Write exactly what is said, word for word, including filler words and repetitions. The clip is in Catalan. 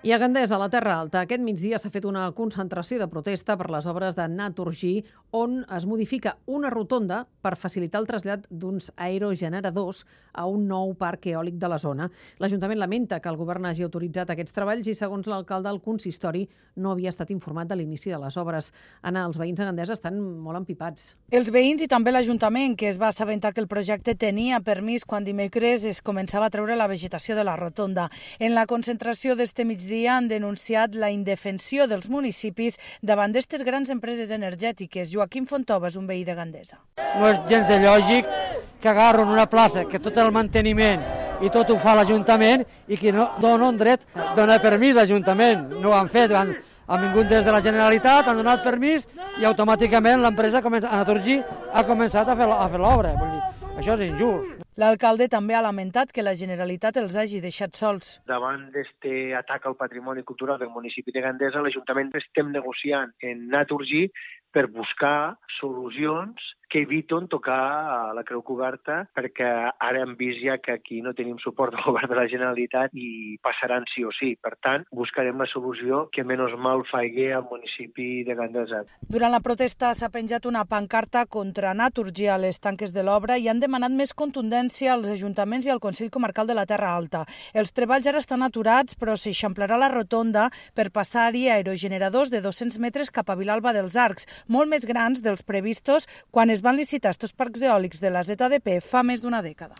I a Gandesa, a la Terra Alta, aquest migdia s'ha fet una concentració de protesta per les obres de Naturgy, on es modifica una rotonda per facilitar el trasllat d'uns aerogeneradors a un nou parc eòlic de la zona. L'Ajuntament lamenta que el govern hagi autoritzat aquests treballs i, segons l'alcalde, el consistori no havia estat informat de l'inici de les obres. Anna, els veïns de Gandesa estan molt empipats. Els veïns i també l'Ajuntament, que es va assabentar que el projecte tenia permís quan dimecres es començava a treure la vegetació de la rotonda. En la concentració d'este migdia han denunciat la indefensió dels municipis davant d'aquestes grans empreses energètiques. Joaquim Fontova és un veí de Gandesa. No és gens de lògic que agarren una plaça que tot el manteniment i tot ho fa l'Ajuntament i que no donen dret, dona permís l'Ajuntament. No ho han fet, han, han vingut des de la Generalitat, han donat permís i automàticament l'empresa Naturgy ha començat a fer, a fer l'obra. Això és injust. L'alcalde també ha lamentat que la Generalitat els hagi deixat sols. Davant d'aquest atac al patrimoni cultural del municipi de Gandesa, l'Ajuntament estem negociant en Naturgy per buscar solucions que eviten tocar la creu coberta, perquè ara hem vist ja que aquí no tenim suport del govern de la Generalitat i passaran sí o sí. Per tant, buscarem la solució que menys mal faigui al municipi de Gandesa. Durant la protesta s'ha penjat una pancarta contra Naturgy a les tanques de l'obra i han demanat més contundència als ajuntaments i al Consell Comarcal de la Terra Alta. Els treballs ara estan aturats, però s'eixamplarà la rotonda per passar-hi aerogeneradors de dos-cents metres cap a Vilalba dels Arcs, molt més grans dels previstos quan es van licitar estos parcs eòlics de la Z D P fa més d'una dècada.